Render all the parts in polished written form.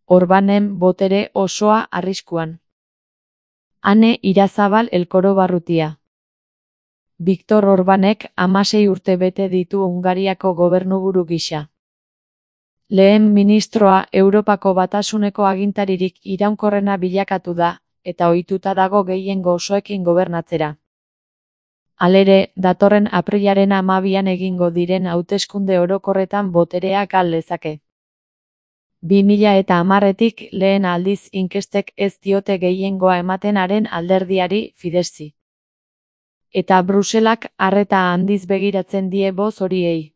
Orbanen botere osoa arriskuan. Ane Irazabal Elkoro Barrutia. Viktor Orbanek 16 urte bete ditu Hungariako gobernuburu gisa. Lehen ministroa Europako Batasuneko agintaririk iraunkorrena bilakatu da, eta ohituta dago gehiengo osoekin gobernatzera. Halere, datorren aprilaren 12an egingo diren hauteskunde orokorretan boterea gal lezake. 2010etik lehen aldiz inkestek ez diote gehiengoa ematen haren alderdiari Fideszi. Eta Bruselak arreta handiz begiratzen die boz horiei.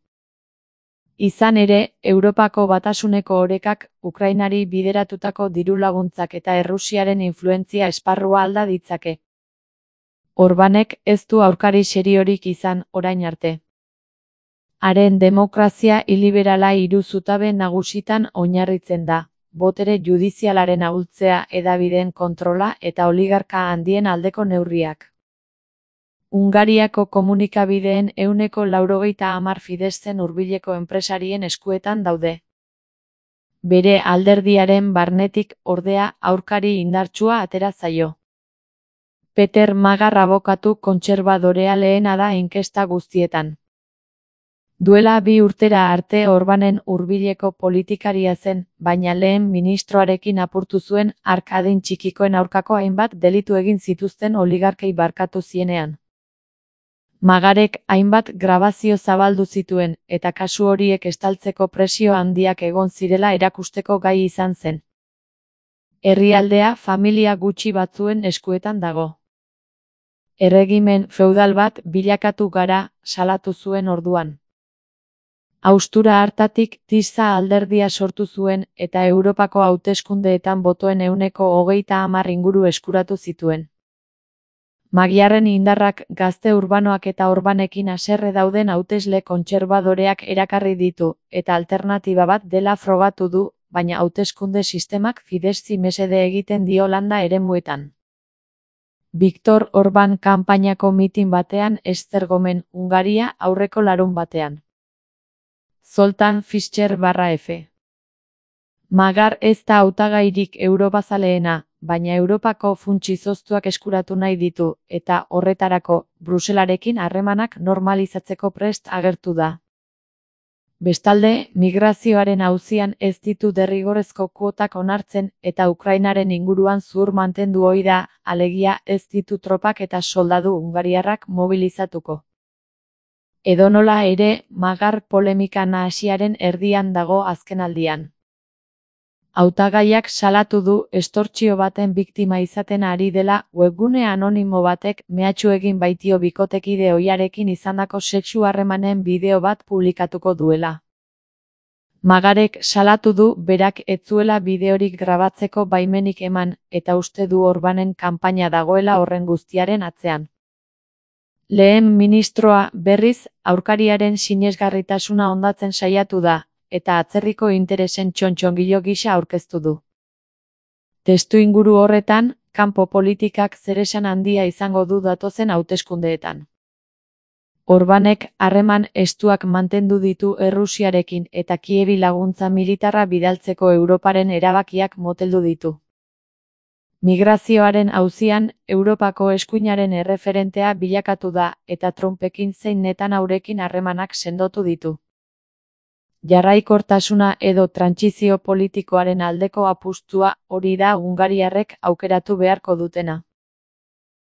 Izan ere, Europako Batasuneko orekak Ukrainari bideratutako diru-laguntzak eta Errusiaren influentzia esparrua alda ditzake. Orbanek ez du aurkari seriorik izan orain arte. Haren demokrazia iliberala hiru zutabe nagusitan oinarritzen da: botere judizialaren ahultzea, hedabideen kontrola eta oligarka handien aldeko neurriak. Hungariako komunikabideen 90% Fideszen hurbileko enpresarien eskuetan daude. Bere alderdiaren barnetik, ordea, aurkari indartsua atera zaio. Peter Magar abokatu kontserbadorea lehena da inkesta guztietan. Duela 2 urtera arte Orbanen hurbileko politikaria zen, baina lehen ministroarekin apurtu zuen hark adin txikikoen aurkako hainbat delitu egin zituzten oligarkei barkatu zienean. Magarek hainbat grabazio zabaldu zituen, eta kasu horiek estaltzeko presio handiak egon zirela erakusteko gai izan zen. Herrialdea familia gutxi batzuen eskuetan dago. Erregimen feudal bat bilakatu gara, salatu zuen orduan. Haustura hartatik Tisza alderdia sortu zuen eta Europako hauteskundeetan botoen 30% inguru eskuratu zituen. Magiarren indarrak gazte urbanoak eta Orbanekin haserre dauden hautesle kontserbadoreak erakarri ditu, eta alternatiba bat dela frogatu du, baina hauteskunde sistemak Fideszi mesede egiten dio landa eremuetan. Viktor Orban kanpainako mitin batean Esztergomen, Hungaria, aurreko larunbatean. Zoltán Fischer/F. Magar ez da hautagairik europazaleena, baina Europako funts izoztuak eskuratu nahi ditu, eta horretarako, Bruselarekin harremanak normalizatzeko prest agertu da. Bestalde, migrazioaren auzian ez ditu derrigorrezko kuotak onartzen eta Ukrainaren inguruan zuhur mantendu ohi da, alegia ez ditu tropak eta soldadu hungariarrak mobilizatuko. Edonola ere, Magar polemika nahasiaren erdian dago azkenaldian. Hautagaiak salatu du estortsio baten biktima izaten ari dela webgune anonimo batek mehatxu egin baitio bikotekide ohiarekin izandako sexu harremanen bideo bat publikatuko duela. Magarek salatu du berak ez zuela bideorik grabatzeko baimenik eman, eta uste du Orbanen kanpaina dagoela horren guztiaren atzean. Lehen ministroa, berriz, aurkariaren sinesgarritasuna hondatzen saiatu da, eta atzerriko interesen txontxongilo gisa aurkeztu du. Testuinguru horretan, kanpo politikak zeresan handia izango du datozen hauteskundeetan. Orbanek harreman estuak mantendu ditu Errusiarekin eta Kievi laguntza militarra bidaltzeko Europaren erabakiak moteldu ditu. Migrazioaren auzian, Europako eskuinaren erreferentea bilakatu da, eta Trumpekin zein Netanyahurekin harremanak sendotu ditu. Jarraikortasuna edo trantsizio politikoaren aldeko apustua hori da hungariarrek aukeratu beharko dutena.